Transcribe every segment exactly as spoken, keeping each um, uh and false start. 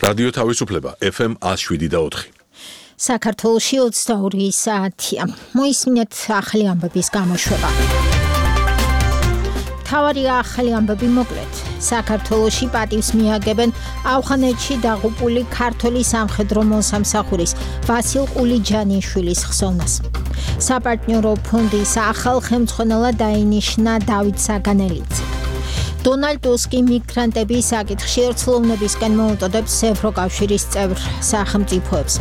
რადიო თავისუფლება F M one oh seven და four. საქართველოში ოცდაორი საათია. მოისმინეთ ახალი ამბების გამოშვება. თავარი ახალი ამბები მოკლედ. საქართველოში პატივს მიაგებენ ავღანეთში დაღუპული ქართული სამხედრო მოსამსახურის ვასილ ყულიჯანიშვილის ხსოვნას. საპარტნიორო ფონდის ახალ ხელმძღვანელად დაინიშნა დავით საგანელიძე. დონალდ ტუსკი მიგრანტების საკითხში ერთლოვნებისკენ მოუწოდებს ევროკავშირის წევრ სახელმწიფოებს.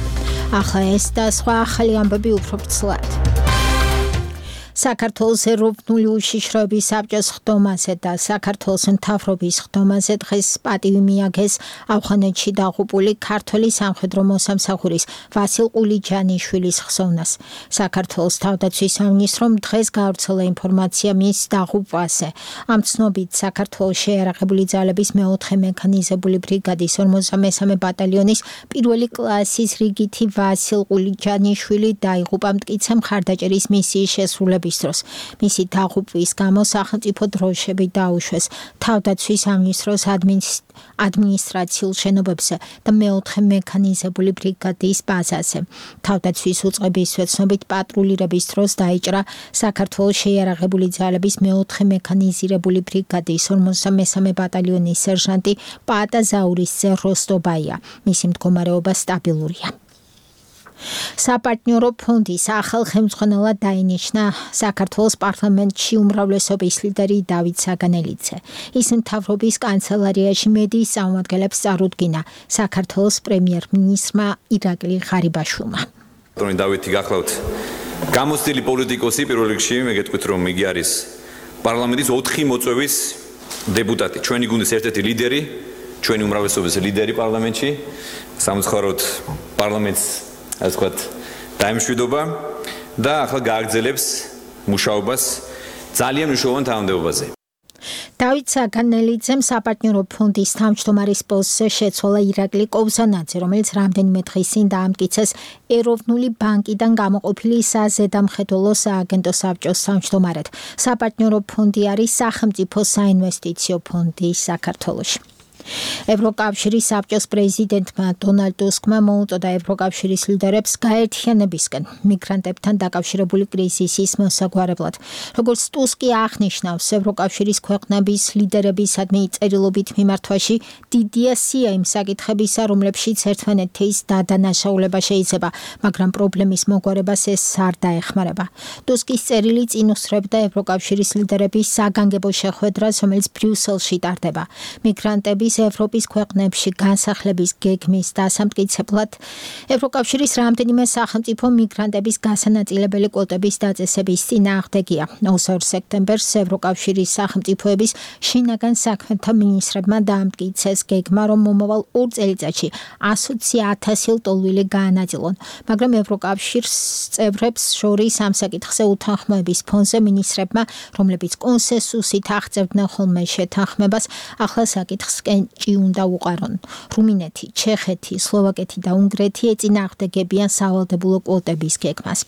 ახლა ეს და სხვა ახალი ამბები უფრო ვრცლად. საქართველოს ეროვნული უშიშროების საბჭოს ხდომაზე და საქართველოს მთავრობის ხდომაზე დღეს პატივი მიაგეს ავღანეთში დაღუპული ქართული სამხედრო მოსამსახურის ვასილ ყულიჯანიშვილის ხსოვნას. საქართველოს თავდაცვის სამინისტრომ დღეს გავრცელა ინფორმაცია მის დაღუპვაზე. ამ ცნობით საქართველოს შეიარაღებული ძალების მეოთხე მექანიზებული ბრიგადის ორმოცდამესამე ბატალიონის პირველი კლასის რიგითი ვასილ ყულიჯანიშვილი დაიღუპა მტკიცე მხარდაჭერის მისიის შესრულების დროს. მისი დაღუპვის გამო სახელმწიფო დროშები დაუშვეს თავდაცვის სამინისტროს ადმინისტრაციულ შენობებზე და მეოთხე მექანიზებული ბრიგადის ბაზაზე. თავდაცვის უწყებისვე ცნობით პატრულირების დროს დაიჭრა საქართველოს შეიარაღებული ძალების მეოთხე მექანიზირებული ბრიგადის ორმოცდამესამე ბატალიონის სერჟანტი პაატა ზაურისძე როსტობაია. მისი მდგომარეობა სტაბილურია. საპარტნიორო ფონდის ახალ ხელმძღვანელად დაინიშნა საქართველოს პარლამენტში უმრავლესობის ლიდერი დავით საგანელიძე. ის მთავრობის კანცელარიაში მედიის წარმომადგენლებს წარუდგინა საქართველოს პრემიერ-მინისტრმა ირაკლი ღარიბაშვილმა. Რონი დავითი გახლავთ გამოცდილი პოლიტიკოსი პირველ რიგში, მე გეტყვით რომ იგი არის პარლამენტის ოთხი მოწვევის დეპუტატი, ჩვენი გუნდის ერთ-ერთი ლიდერი, ჩვენი უმრავლესობის ლიდერი პარლამენტში, სამწუხაროდ პარლამენტს ასე ვთქვათ, დაემშვიდობა და ახლა გააგრძელებს მუშაობას ძალიან მნიშვნელოვან თანამდებობაზე. დავით საგანელიძემ საპარტნიორო ფონდის თავმჯდომარის პოსტზე შეცვალა ირაკლი კობზანაძე, რომელიც რამდენიმე დღის წინ დაამტკიცეს ეროვნული ბანკიდან გამოყოფილი საზედამხედველო სააგენტო საბჭოს თავმჯდომარედ. საპარტნიორო ფონდი არის სახელმწიფო საინვესტიციო ფონდი საქართველოში. ევროკავშირის საბჭოს პრეზიდენტმა დონალდ ტუსკმა მოუწოდა ევროკავშირის ლიდერებს გაერთიანებისკენ მიგრანტებთან დაკავშირებული კრიზისის მოსაგვარებლად. როგორც ტუსკი აღნიშნავს, ევროკავშირის ქვეყნების ლიდერებისადმი წერილობით მიმართვაში დიდია სია იმ საკითხებისა, რომლებშიც ერთმანეთის დადანაშაულება შეიძლება, მაგრამ პრობლემის მოგვარებას ეს არ დაეხმარება. ტუსკის წერილი წინ უსწრებდა ევროკავშირის ლიდერების საგანგებო შეხვედრას, რომელიც ბრიუსელში ტარდება. მიგრანტების ევროპის ქვეყნებში განსახლების გეგმის დასამტკიცებლად ევროკავშირის რამდენიმე სახელმწიფო მიგრანტების გასანაწილებელი კვოტების დაწესების წინააღმდეგია. ოცდაორ სექტემბერს ევროკავშირის სახელმწიფოების შინაგან საქმეთა მინისტრებმა დაამტკიცეს გეგმა, რომ მომავალ ორ წელიწადში ასოცი ათასი ლტოლვილი გაანაწილონ, მაგრამ ევროკავშირის წევრებს შორის ამ საკითხზე უთანხმოების ფონზე მინისტრებმა, რომლებიც კონსენსუსით აღწევდნენ ხოლმე შეთანხმებას, ახლა საკითხს ჭი უნდა უყარონ. რუმინეთი, ჩეხეთი, სლოვაკეთი და უნგრეთი ეწინააღმდეგებიან სავალდებულო კვოტების გეგმას.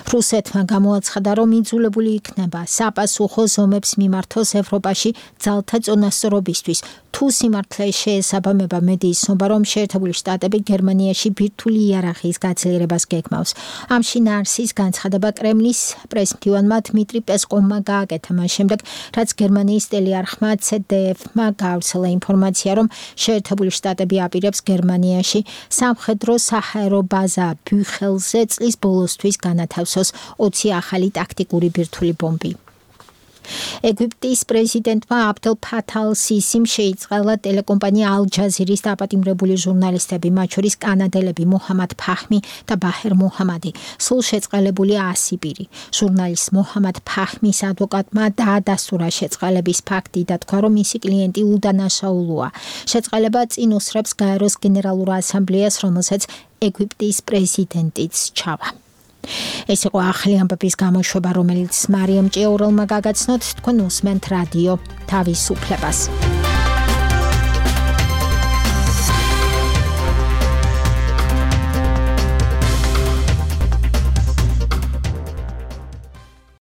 რუსეთმა გამოაცხადა, რომ იძულებული იქნება საპასუხო ზომებს მიმართოს ევროპაში ძალთა წონასწორობისთვის. თუ სიმართლე შეესაბამება მედიის ცნობა, რომ შეერთებული შტატები გერმანიაში ბირთვული იარაღის გაძლიერებას გეგმავს. ამ შინაარსის განცხადება კრემლის პრესმდივანმა დმიტრი პესკოვმა გააკეთა მას შემდეგ, რაც გერმანიის ტელეარხმა C D F-მა გაავრცელა ინფორმაცია, რომ შეერთებული შტატები აპირებს გერმანიაში სამხედრო საჰაერო ბაზა ბიუხელზე წლის ბოლოსთვის განათავსოს ოცი ახალი ტაქტიკური ბირთვული ბომბი. ეგვიპტის პრეზიდენტმა აბდელ ფათალ სისიმ შეიწყალა ტელეკომპანია ალ-ჯაზირის დაპატიმრებული ჟურნალისტები, მათ შორის კანადელები მუჰამად ფაჰმი და ბაჰერ მუჰამადი, სულ შეწყალებული ასი პირი. ჟურნალისტ მუჰამად ფაჰმის ადვოკატმა დაადასტურა შეწყალების ფაქტი და თქვა, რომ მისი კლიენტი უდანაშაულოა. შეწყალება წინ უსწრებს გაეროს გენერალურ ასამბლეას, რომელსაც ეგვიპტის პრეზიდენტიც ჩავა. ეს იყო ახალი ამბების გამოშვება, რომელიც მარიამ ჭიაურელმა გაგაცნოთ. თქვენ უსმენთ რადიო თავისუფლებას.